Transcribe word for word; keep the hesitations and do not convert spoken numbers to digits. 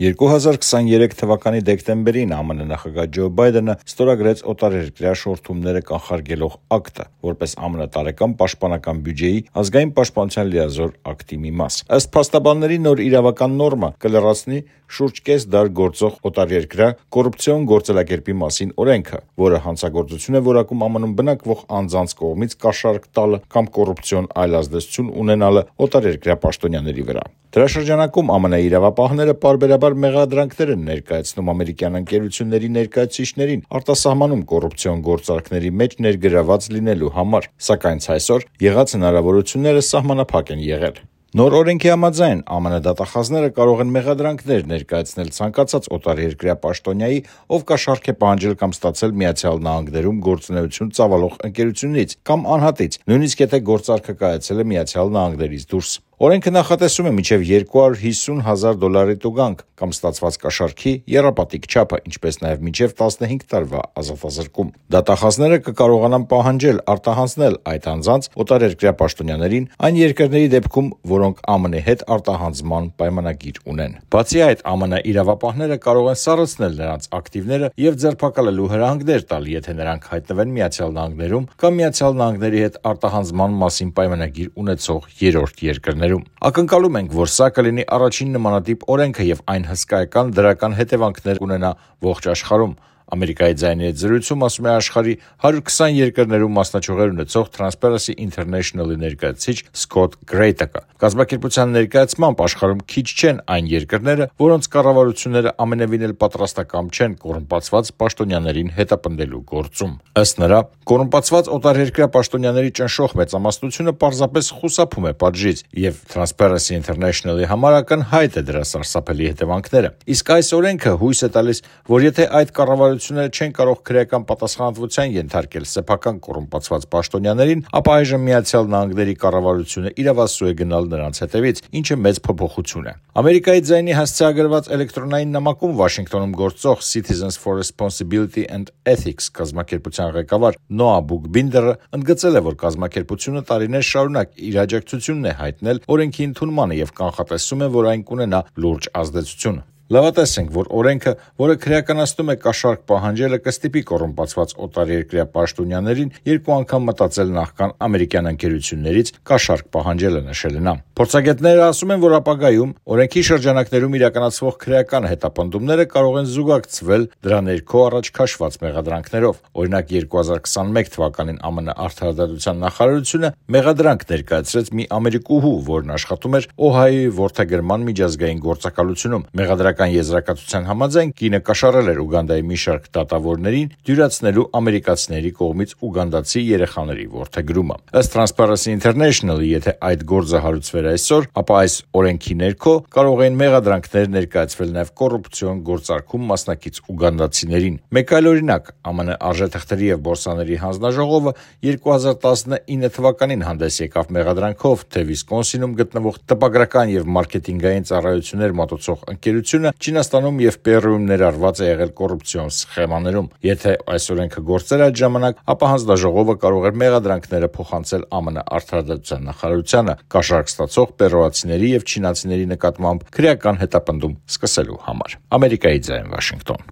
երկու հազար քսաներեք թվականի դեկտեմբերին ԱՄՆ նախագահ Ջո Բայդենը ստորագրեց օտարերկրյա շորթումները կանխարգելող ակտը, որպես ԱՄՆ տարեկան պաշտպանական բյուջեի ազգային պաշտպանության լիազոր ակտի մի մաս։ Ըստ փաստաբանների, նոր իրավական նորմը կլրացնի շուրջ կես դար գործող օտարերկրյա կոռուպցիոն գործելակերպի մասին օրենքը, որը հանցագործություն է որակում ԱՄՆ-ում բնակվող անձանց կողմից կաշառք տալը կամ կոռուպցիոն այլ ազդեցություն ունենալը օտարերկրյա պաշտոնյաների վրա։ Դրա շրջանակում ԱՄՆ իրավապահները պարբերաբար մեղադրանքներ են ներկայացնում ամերիկյան ընկերությունների ներկայացուցիչներին արտասահմանում կոռուպցիոն գործարքների մեջ ներգրաված լինելու համար, սակայն այսօր եղած հնարավորությունները սահմանափակ են եղել։ Նոր օրենքի համաձայն ԱՄՆ դատախազները կարող են մեղադրանքներ ներկայացնել ցանկացած օտարերկրյա պաշտոնյայի, ով կաշառք է պահանջել կամ ստացել Միացյալ Նահանգներում գործունեություն ծավալող ընկերությունից կամ անհատից, նույնիսկ եթե գործարքը կայացել է Միացյալ Նահանգներից դուրս։ Օրենքը նախատեսում է մինչև երկու հարյուր հիսուն հազար դոլարի տուգանք կամ ստացված կաշառքի եռապատիկ չափը, ինչպես նաև մինչև տասնհինգ տարվա ազատազրկում։ Դատախազները կկարողանան պահանջել արտահանձնել այդ անձանց օտարերկրյա պաշտոնյաներին այն երկրների դեպքում, որոնք ԱՄՆ հետ արտահանձնման պայմանագիր ունեն։ Բացի այդ, ԱՄՆ իրավապահները կարող են սառեցնել նրանց ակտիվները եւ ձերբակալելու հրահանգներ տալ, եթե նրանք հայտնվեն Միացյալ Նահանգներում կամ Միացյալ Նահանգների հետ արտահանձնման մասին պայմանագիր ունեցող երրորդ երկրներում։ Ակնկալում ենք, որ սա կլինի առաջին նմանատիպ օրենքը եւ այն հսկայական դրական հետևանքներ կունենա ողջ աշխարհում։ Ամերիկայի ձայնի հետ զրույցում ասում է աշխարհի հարյուր քսան երկրներում մասնաճյուղեր ունեցող Transparency International-ի ներկայացուցիչ Սկոտ Գրեյտակը։ Կազմակերպության ներկայացմամբ աշխարհում քիչ չեն այն երկրները, որոնց կառավարությունները ամենևին էլ պատրաստակամ չեն կոռումպացված պաշտոնյաներին հետապնդելու գործում։ Ըստ նրա, կոռումպացված օտարերկրյա պաշտոնյաների ճնշող մեծամասնությունը պարզապես խուսափում է պատժից, եւ Transparency International-ի համար ակնհայտ է դրա սարսափելի հետևանքները։ Իսկ այս օրենքը հույս է տալիս, որ եթե այդ կառավարությունները չեն կարող քրեական պատասխանատվության ենթարկել սեփական կոռումպացված պաշտոնյաներին, ապա այժմ Միացյալ Նահանգների կառավարությունը իրավասու է գնալ նրանց հետևից, ինչը մեծ փոփոխություն է։ Ամերիկայի ձայնի հասցեագրված էլեկտրոնային նամակում Վաշինգտոնում գործող Citizens for Responsibility and Ethics կազմակերպության ղեկավար Նոա Բուքբինդերը ընդգծել է, որ կազմակերպությունը տարիներ շարունակ իր աջակցությունն է հայտնել օրենքի ընդունմանը եւ կանխատեսում է, որ այն կունենա լուրջ ազդեցություն։ Լավատեսենք, որ օրենքը, որը քրեականացնում է կաշառք պահանջելը, կստիպի կոռումպացված օտարերկրյա պաշտոնյաներին երկու անգամ մտածել նախքան ամերիկյան ընկերություններից կաշառք պահանջելը, նշել է նա։ Փորձագետները ասում են, որ ապագայում օրենքի շրջանակներում իրականացվող քրեական հետապնդումները կարող են զուգակցվել դրա ներքո առաջ քաշված մեղադրանքներով։ Օրինակ, երկու հազար քսաներեք թվականին ԱՄՆ Արդարադատության նախարարությունը մեղադրանք ներկայացրեց մի ամերիկուհու, որն աշխատում էր Օհայոյի որդեգրման միջազգային գործակալությունում։ Մեղադրական եզրակացության համաձայն կինը կաշառել էր Ուգանդայի մի շարք դատավորներին դյուրացնելու ամերիկացիների կողմից ուգանդացի երեխաների որդեգրումը։ Ըստ Transparency International-ի, եթե այդ գործը հարուցվեր այսօր, ապա այս օրենքի ներքո կարող էին մեղադրանքներ ներկայացվել նաև կոռուպցիոն գործարքում մասնակից ուգանդացիներին։ Մեկ այլ օրինակ, ԱՄՆ արժեթղթերի եւ բորսաների հանձնաժողովը երկու հազար տասնինը թվականին հանդես եկավ մեղադրանքով, թե Վիսկոնսինում գտնվող տպագրական եւ մարքեթինգային ծառայություններ մատուցող ընկերությունը Չինաստանում եւ Պերուում ներառված է եղել կոռուպցիոն սխեմաներում։ Եթե այս օրենքը գործեր այդ ժամանակ, ապա հանձնաժողովը կարող էր մեղադրանքները փոխանցել ԱՄՆ Արդարադատության նախարարությանը կաշառք ստացող պերուացիների եւ չինացիների նկատմամբ քրեական հետապնդում սկսելու համար։ Ամերիկայի ձայն, Վաշինգտոն։